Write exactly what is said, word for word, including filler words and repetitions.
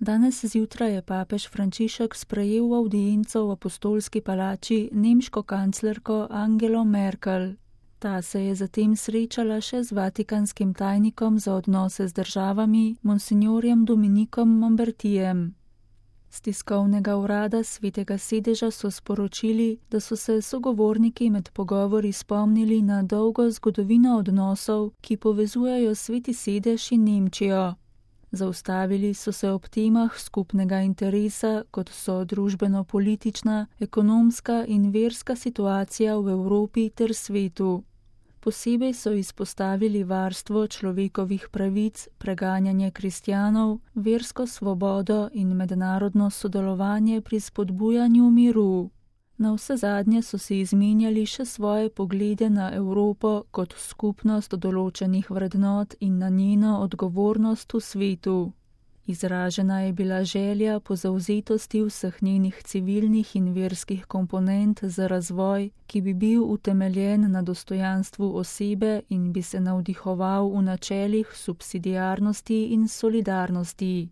Danes zjutraj je papež Frančišek sprejel v avdienco v apostolski palači nemško kanclerko Angelo Merkel. Ta se je zatem srečala še z vatikanskim tajnikom za odnose z državami, monsinjorjem Dominikom Mombertijem. Z tiskovnega urada Svetega sedeža so sporočili, da so se sogovorniki med pogovori spomnili na dolgo zgodovino odnosov, ki povezujejo Sveti sedež in Nemčijo. Zaustavili so se ob temah skupnega interesa, kot so družbeno-politična, ekonomska in verska situacija v Evropi ter svetu. Posebej so izpostavili varstvo človekovih pravic, preganjanje kristjanov, versko svobodo in mednarodno sodelovanje pri spodbujanju miru. Navsezadnje so si izmenjali še svoje poglede na Evropo kot skupnost določenih vrednot in na njeno odgovornost v svetu. Izražena je bila želja po zavzetosti vseh njenih civilnih in verskih komponent za razvoj, ki bi bil utemeljen na dostojanstvu osebe in bi se navdihoval v načelih subsidiarnosti in solidarnosti.